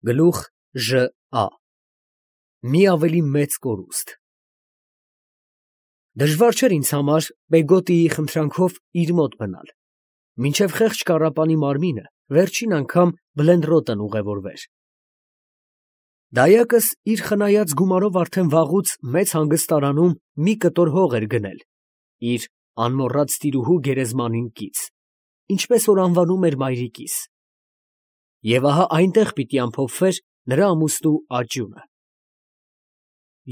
Գլուխ ԺԱ Մի ավելի մեծ կորուստ Դժվար չէր ինձ համար Պեգոտիի խնդրանքով իր մոտ մնալ, մինչև խեղճ կառապանի մարմինը վերջին անգամ Բլենրոտն ուղևորվեր։ Դայակս իր խնայած գումարով արդեն վաղուց մեծ հանգստարանում մի կտոր հող էր գնել իր անմոռաց տիրուհու գերեզմանին կից, ինչպես որ անվանում էր մայրիկիս, և ահա այնտեղ պիտի ամփոփվեր նրա ամուսնու աճյունը։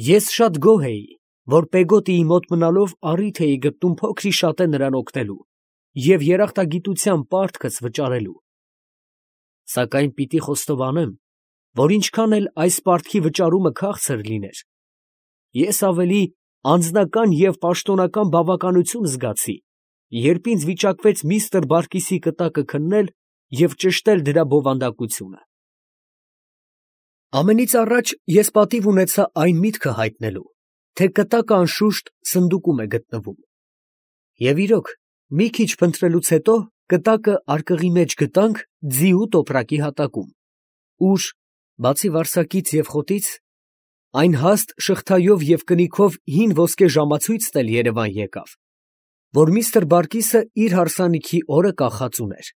Ես շատ գոհ էի, որ Պեգոտիի մոտ մնալով առիթ էի գտնում փոքր-ի-շատե նրան օգնելու և երախտագիտության պարտքս վճարելու։ Սակայն պիտի խոստովանեմ, որ ինչքան էլ այս պարտքի վճարումը քաղցր լիներ, ես ավելի անձնական և պաշտոնական բավականություն զգացի, երբ ինձ վիճակվեց միստր Բարկիսի կտակը քննել և ճշտել դրա բովանդակությունը։ Ամենից առաջ ես պատիվ ունեցա այն միտքը հայտնելու, թե կտակը անշուշտ սնդուկում է գտնվում։ Եվ իրոք, մի քիչ փնտրելուց հետո կտակը արկղի մեջ գտանք ձիու տոպրակի հատակում, ուր, բացի վարսակից և խոտից, այն հաստ շղթայով և կնիքով հին ոսկե ժամացույցն էլ երևան եկավ, որ միստր Բարկիսը իր հարսանիքի օրը կախած ուներ,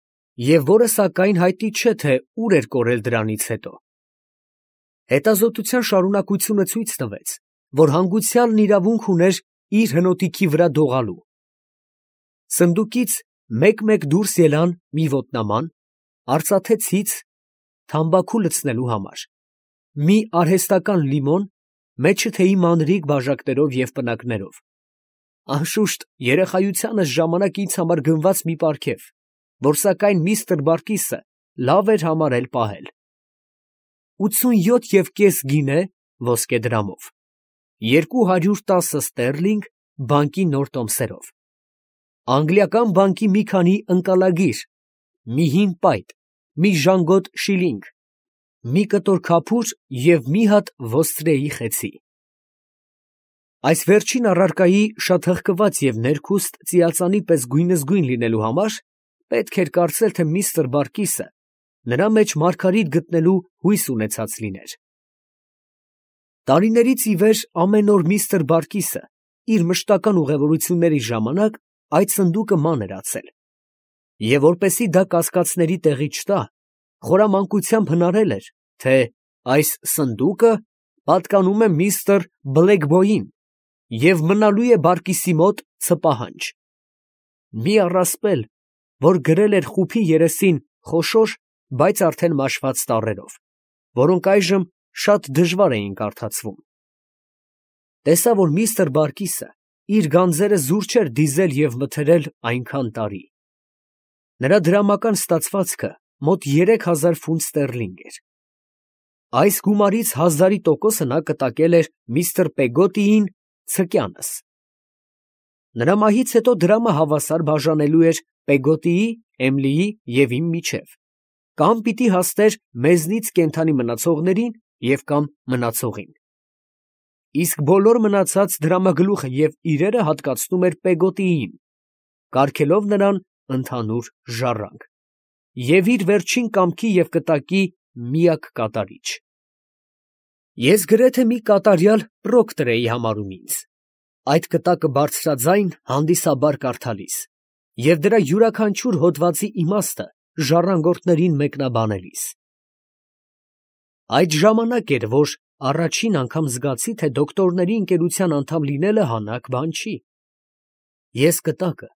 և որը սակայն հայտնի չէ, թե ուր էր կորել դրանից հետո։ Հետազոտության շարունակությունը ցույց տվեց, որ հանգուցյալն իրավունք ուներ իր հնոտիքի վրա դողալու։ Սնդուկից մեկ֊մեկ դուրս ելան մի ոտնաման, արծաթե ցից թամբաքու լցնելու համար, մի արհեստական լիմոն, մեջը թեյի մանրիկ բաժակներով և պնակներով, անշուշտ երեխայությանս ժամանակ ինձ համար գնված մի պարգև, որ սակայն միստր Բարկիսը լավ էր համարել պահել։ 87.5 գինե ոսկե դրամով, 210 ստերլինգ բանկի նոր տոմսերով, անգլիական բանկի մի քանի ընկալագիր, մի հին պայտ, մի ժանգոտ շիլինգ, մի կտոր քափուր և մի հատ ոստրեի խեցի։ Այս վերջին առարկայի շատ հղկված և ներքուստ ծիածանի պես գույնզգույն լինելու համար պետք էր կարծել, թե միստր Բարկիսը նրա մեջ մարգարիտ գտնելու հույս ունեցած լիներ։ Տարիներից ի վեր ամեն օր միստր Բարկիսը իր մշտական ուղևորությունների ժամանակ այդ սնդուկը ման էր ածել, և որպեսզի դա կասկածների տեղի չտա, խորամանկությամբ հնարել էր, թե այս սնդուկը պատկանում է միստր Բլեքբոյին և մնալու է Բարկիսի մոտ ցպահանջ։ Մի առասպել, որ գրել էր խուփի երեսին խոշոր, բայց արդեն մաշված տառերով, որոնք այժմ շատ դժվար էին կարդացվում։ Տեսա, որ միստր Բարկիսը իր գանձերը զուր չէր դիզել և մթերել այնքան տարի։ Նրա դրամական ստացվածքը մոտ 3000 ֆունտ ստերլինգ էր։ Այս գումարից 1000% նա կտակել էր միստր Պեգոտիին ցկյանս։ Նրա մահից հետո դրամը հավասար բաժանելու էր Պեգոտիի, Էմիլիի և իմ միջև, կամ պիտի հասներ մեզնից կենդանի մնացողներին և կամ մնացողին։ Իսկ բոլոր մնացած դրամագլուխը և իրերը հատկացնում էր Պեգոտիին, կարգելով նրան ընդհանուր ժառանգ և իր վերջին կամքի և կտակի միակ կատարիչ։ Ես գրեթե մի կատարյալ պրոկտոր էի համարում ինձ, այդ կտակը բարձրաձայն հանդիսաբար կարդալիս և դրա յուրաքանչյուր հոդվածի իմաստը ժառանգորդներին մեկնաբանելիս։ Այդ ժամանակ էր, որ առաջին անգամ զգացի, թե դոկտորների ընկերության անդամ լինելը հանաք բան չի։ Ես կտակը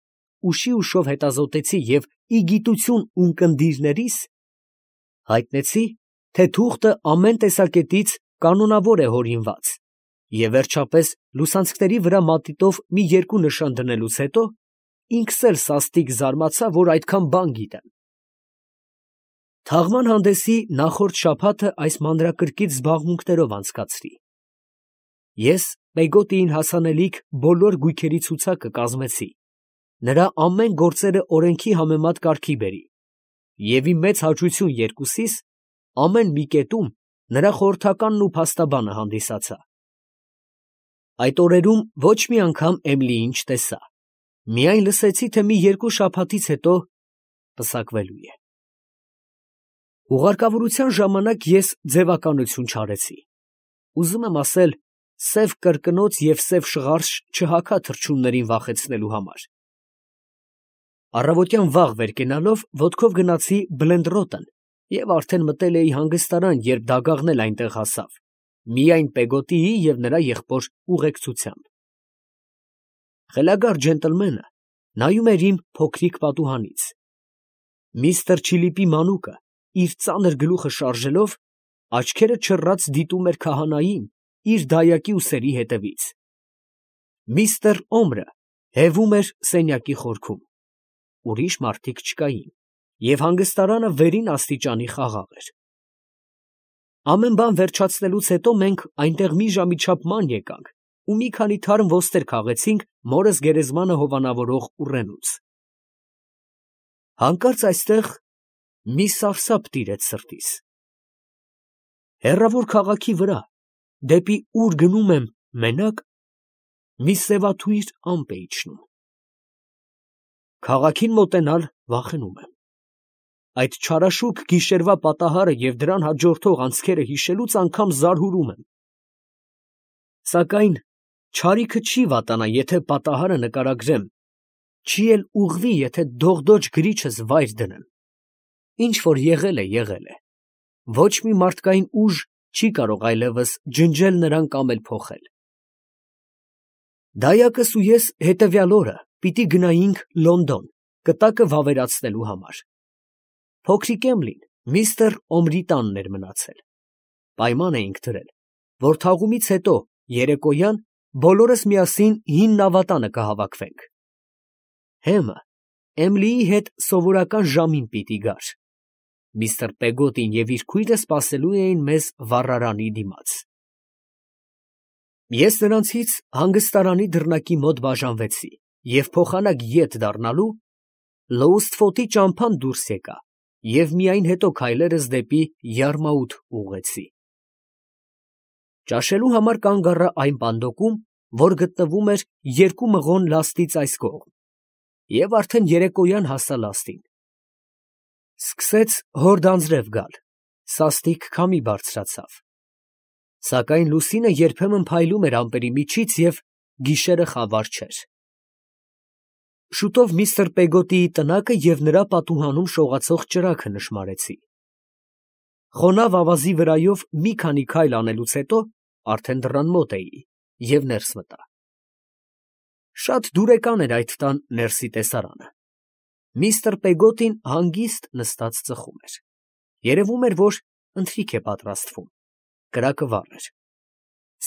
ուշի ուշով հետազոտեցի և ի գիտություն ունկնդիրներիս հայտնեցի, թե թուղթը ամեն տեսակետից կանոնավոր է հորինված, և վերջապես լուսանցքների վրա մատիտով մի երկու նշան դնելուց հետո ինքս էլ սաստիկ զարմացա, որ այդքան բան գիտեմ։ Թաղման հանդեսի նախորդ շաբաթը այս մանրակրկիտ զբաղմունքներով անցկացրի։ Ես Պեգոտիին հասանելիք բոլոր գույքերի ցուցակը կազմեցի, նրա ամեն գործերը օրենքի համեմատ կարգի բերի և իմ մեծ հաճույքություն երկուսիս ամեն մի կետում նրա խորհրդականն ու փաստաբանը հանդիսացա։ Այդ օրերում ոչ մի անգամ Էմիլիին չտեսա, միայն լսեցի, թե մի երկու շաբաթից հետո պսակվելու է։ Ուղարկավորության ժամանակ ես ձևականություն չարեցի։ Ուզում եմ ասել, սև կրկնոց և սև շղարշ չհագա թռչուններին վախեցնելու համար։ Առավոտյան վաղ վեր կենալով ոտքով գնացի Բլենդրոտն և արդեն մտել էի հանգստարան, երբ դագաղն էլ այնտեղ հասավ, միայն Պեգոտիի և նրա եղբոր ուղեկցությամբ։ Խելագար ջենտլմենը նայում էր իմ փոքրիկ պատուհանից։ Միսթր Չիլիպի մանուկը, իր ծանր գլուխը շարժելով, աչքերը չռած դիտում էր քահանային իր դայակի ուսերի հետևից։ Միսթր Օմրը հևում էր սենյակի խորքում։ Ուրիշ մարդիկ չկային, և հանգստարանը վերին աստիճանի խաղաղ էր։ Ամեն բան վերջացնելուց հետո մենք այնտեղ մի ժամի չափ ման եկանք ու մի քանի թարմ ոստեր քաղեցինք մորս գերեզմանը հովանավորող ուռենուց։ Հանկարծ այստեղ մի սարսափ տիրեց սրտիս։ Հեռավոր քաղաքի վրա, դեպի ուր գնում եմ մենակ, մի սևաթույր ամպ է իջնում։ Քաղաքին մոտենալ վախենում եմ։ Այդ չարաշուք գիշերվա պատահարը և դրան հաջորդող անցքերը հիշելուց անգամ զարհուրում եմ։ Սակայն չարիքը չի վատանա, եթե պատահարը նկարագրեմ, չի էլ ուղղվի, եթե դողդոջ գրիչս վայր դնեմ։ Ինչ որ եղել է, եղել է։ Ոչ մի մարդկային ուժ չի կարող այլևս ջնջել նրան կամ էլ փոխել։ Դայակս ու ես հետևյալ օրը պիտի գնայինք Լոնդոն կտակը վավերացնելու համար։ Փոքրիկ Էմլին միստր Օմրի տանն էր մնացել։ Պայման էինք դրել, որ թաղումից հետո երեկոյան բոլորս միասին հին նավատանը կհավաքվենք։ Հեմը Էմլիի հետ սովորական ժամին պիտի գար։ Միստր Պեգոտին և իր քույրը սպասելու էին մեզ վառարանի դիմաց։ Ես նրանցից հանգստարանի դռնակի մոտ բաժանվեցի և փոխանակ ետ դառնալու Լոուստֆոտի ճամփան դուրս եկա և միայն հետո քայլերս դեպի Յարմաութ ուղղեցի։ Ճաշելու համար կանգ առա այն պանդոկում, որ գտնվում էր 2 մղոն լաստից այս կողմ, և արդեն երեկոյան հասա լաստին։ Սկսեց հորդ անձրև գալ, սաստիկ քամի բարձրացավ։ Սակայն լուսինը երբեմն փայլում էր ամպերի միջից և գիշերը խավար չէր։ Շուտով միստր Պեգոտիի տնակը և նրա պատուհանում շողացող ճրագը նշմարեցի։ Խոնավ ավազի վրայով մի քանի քայլ անելուց հետո արդեն դռան մոտ էի և ներս մտա։ Շատ դուրեկան էր այդ տան ներսի տեսարանը։ Միստր Պեգոտին հանգիստ նստած ծխում էր։ Երևում էր, որ ընթրիք է պատրաստվում։ Կրակը վառ էր։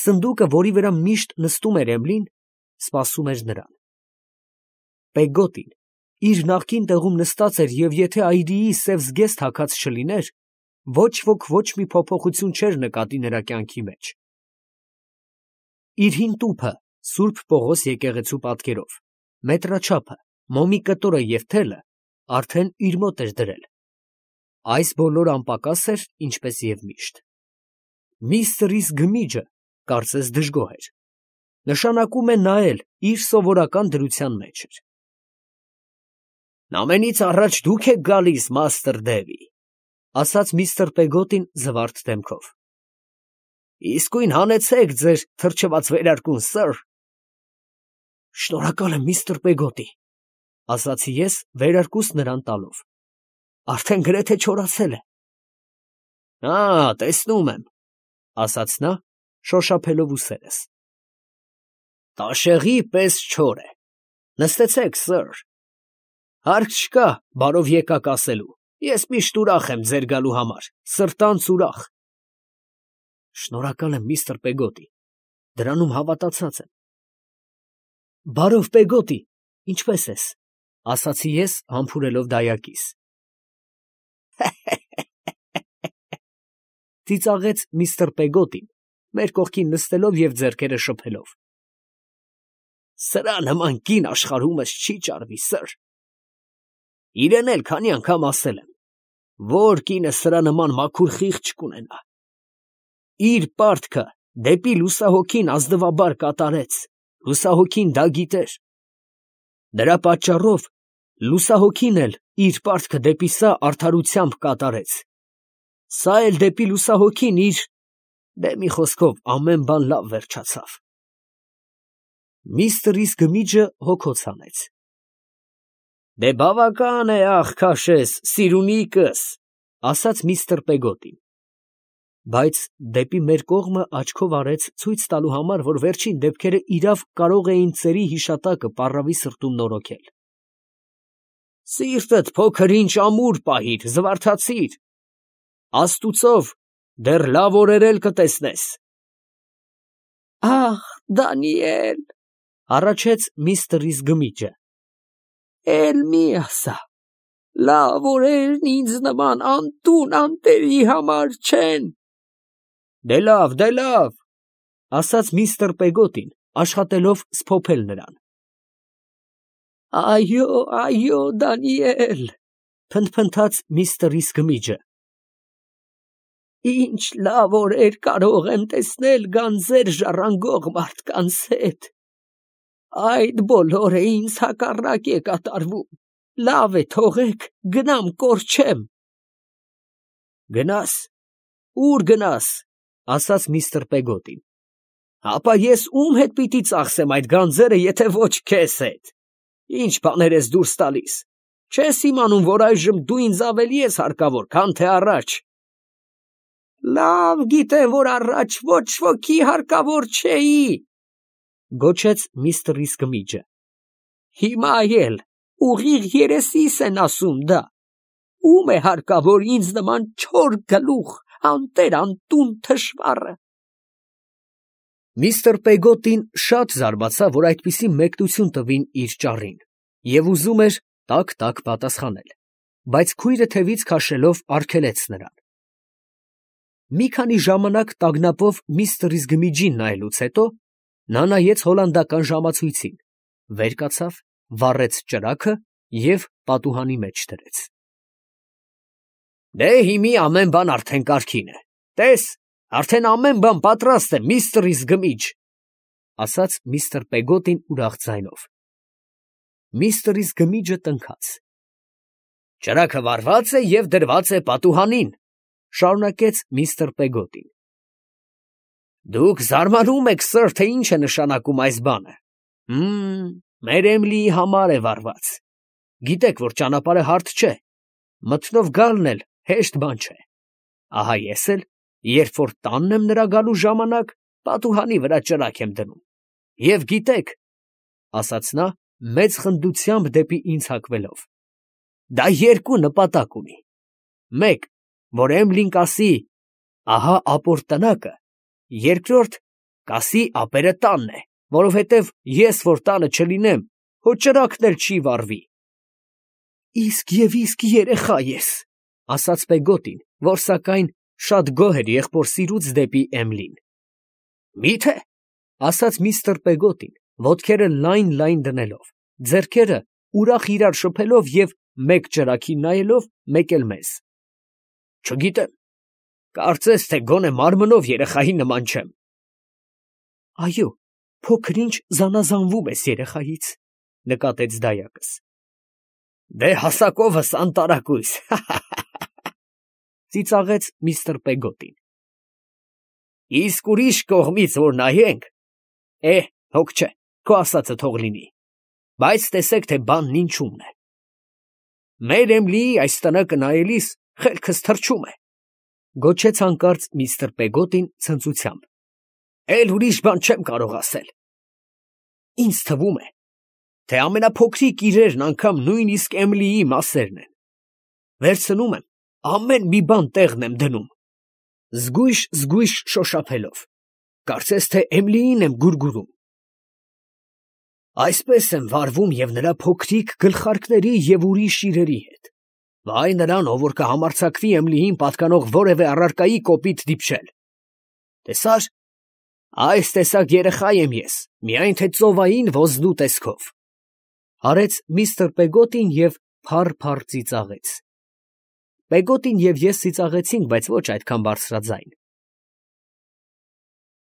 Սնդուկը, որի վրա միշտ նստում էր Էմլին, սպասում էր նրան։ Պեգոտին իր նախկին տեղում նստած էր, և եթե այրիի սև զգեստ հագած չլիներ, ոչ ոք ոչ մի փոփոխություն չէր նկատի նրա կյանքի մեջ։ Իր հին տուփը, Սուրբ Պողոս եկեղեցու պատկերով, մետրաչափը, մոմի կտորը և թելը արդեն իր մոտ էր դրել։ Այս բոլորը անպակաս էր, ինչպես և միշտ։ Միստրիս գմիջը կարծես դժգոհ էր։ Նշանակում է նա էլ իր սովորական դրության մեջ էր։ «Ամենից առաջ դուք եք գալիս, մաստր Դևի», ֊ ասաց միստր Պեգոտին զվարթ դեմքով։ «Իսկույն հանեցեք ձեր թրջված վերարկուն, սըր»։ «Շնորհակալ եմ, միստր Պեգոտի», ֊ ասացի ես, վերարկուս նրան տալով։ «Արդեն գրեթե չորացել է»։ Տեսնում եմ, ֊ ասաց նա, շոշափելով ուսերս։ «Տաշեղի պես չոր է։ Նստեցեք, սըր։ Հարկ չկա բարով եկաք ասելու, ես միշտ ուրախ եմ ձեր գալու համար, սրտանց ուրախ»։ «Շնորհակալ եմ, միստր Պեգոտի, դրանում հավատացած եմ»։ «Բարով, Պեգոտի, ինչպե՞ս ես», ֊ ասացի ես, համբուրելով դայակիս։ Ծիծաղեց միստր Պեգոտին, մեր կողքին նստելով և ձեռքերը շփելով։ «Սրա նման կին աշխարհումս չի ճարվի, սըր։ Իրեն էլ քանի անգամ ասել եմ, որ կինը սրա նման մաքուր խիղճ կունենա։ Իր պարտքը դեպի լուսահոգին ազնվաբար կատարեց, լուսահոգին դա գիտեր։ Դրա պատճառով լուսահոգին էլ իր պարտքը դեպի սա արդարությամբ կատարեց։ Սա էլ դեպի լուսահոգին իր, դե մի խոսքով ամեն բան լավ վերջացավ։ Միստր Իսգմիջը հոգոց հանեց։ Դե բավական է, աղ քաշես, սիրունիկս, ասաց միստր Պեգոտին։ Բայց դեպի մեր կողմը աչքով արեց ցույց տալու համար, որ վերջին դեպքերը իրավ կարող էին ծերի հիշատակը պառավի սրտում նորոգել։ Սիրտդ փոքր ինչ ամուր պահիր, զվարթացիր, աստուծով դեռ լավ օրեր էլ կտեսնես։ Ահ, Դանիել, առաջեց միստր Իսգմիջը, էլ մի ասա, լավ օրերն ինձ նման անտուն անտերի համար չեն։ Դե լավ, ասաց միստր Պեգոտին, աշխատելով սփոփել նրան։ Այո, Դանիել, փնթփնթաց միստր Իսգմիջը։ Ինչ լավ օրեր կարող եմ տեսնել գանձեր ժառանգող մարդկանց հետ։ Այդ բոլորը ինձ հակառակ է կատարվում։ Լավ է, թողեք, գնամ կորչեմ։ Գնաս, ուր գնաս, ասաց միստր Պեգոտին։ Ապա ես ում հետ պիտի ծախսեմ այդ գանձերը, եթե ոչ քեզ հետ։ Ինչ բաներ ես դուրս տալիս։ Չես իմանում, որ այժմ դու ինձ ավելի ես հարկավոր, քան թե առաջ։ Լավ գիտեմ, որ առաջ ոչ ոքի հարկավոր չէի, գոչեց միստր Իսգմիջը։ Հիմա էլ ուղիղ երեսիս են ասում դա։ Ում է հարկավոր ինձ նման չոր գլուխ, անտեր անտուն թշվառը։ Միստր Պեգոտին շատ զարմացավ, որ այդպիսի մեկնություն տվին իր ճառին, և ուզում էր տաք պատասխանել, բայց քույրը թևից քաշելով արգելեց նրան։ Մի քանի ժամանակ տագնապով միստր Իսգմիջին նայելուց հետո նա նայեց հոլանդական ժամացույցին, վեր կացավ, վառեց ճրագը և պատուհանի մեջ դրեց։ Դե հիմի ամեն բան արդեն կարգին է, տես, արդեն ամեն բան պատրաստ է, միստր Իսգմիջ, ասաց միստր Պեգոտին ուրախ ձայնով։ Միստր Իսգմիջը տնքաց։ Ճրագը վառված է և դրված է պատուհանին, շարունակեց միստր Պեգոտին։ Դուք զարմանում եք, սըր, թե ինչ է նշանակում այս բանը։ Մեր Էմիլիի համար է վառված։ Գիտեք, որ ճանապարհը հարթ չէ, մթնով գալն էլ հեշտ բան չէ։ Ահա ես էլ, երբ որ տանն եմ նրա գալու ժամանակ, պատուհանի վրա ճրագ եմ դնում։ Եվ գիտեք, ասաց նա, մեծ խնդությամբ դեպի ինձ հակվելով, դա երկու նպատակ ունի։ Մեկ, որ Էմիլին կասի, ահա ապոր տնակը, երկրորդ, կասի ապերը տանն է, որովհետև ես, որ տանը չլինեմ, հո ճրագն էլ չի վառվի։ Իսկ երեխա ես, ասաց Պեգոտին, որ սակայն շատ գոհ էր եղբոր սիրուց դեպի Էմիլին։ Մի՞թե, ասաց միստր Պեգոտին, ոտքերը լայն դնելով, ձեռքերը ուրախ իրար շփելով և մեկ ճրագին նայելով, մեկ էլ մեզ։ Չգիտեմ, կարծես թե գոնե մարմնով երեխայի նման չեմ։ Այո, փոքր ինչ զանազանվում ես երեխայից, նկատեց դայակս։ Դե հասակովս անտարակույս, ծիծաղեց միստր Պեգոտին։ Իսկ ուրիշ կողմից որ նայենք, հոգ չէ, քո ասածը թող լինի, բայց տեսեք, թե բանն ինչումն է։ Մեր Էմիլիի այս տնակը նայելիս խելքս թռչում է, գոչեց հանկարծ միստր Պեգոտին ցնծությամբ։ Էլ ուրիշ բան չեմ կարող ասել։ Ինձ թվում է, թե ամենափոքրիկ իրերն անգամ նույնիսկ Էմիլիի մասերն են։ Վերցնում եմ, ամեն մի բան տեղն եմ դնում, զգույշ շոշափելով, կարծես թե Էմիլիին եմ գուրգուրում։ Այսպես եմ վարվում և նրա փոքրիկ գլխարկների և ուրիշ իրերի հետ։ Վայ նրան, ով որ կհամարձակվի Էմիլիին պատկանող որևէ առարկայի կոպիտ դիպչել։ Տեսա՞ր, այս տեսակ երեխա եմ ես, միայն թե ծովային ոզնու տեսքով, հարեց միստր Պեգոտին և փառ ծիծաղեց։ Պեգոտին և ես ծիծաղեցինք, բայց ոչ այդքան բարձրաձայն։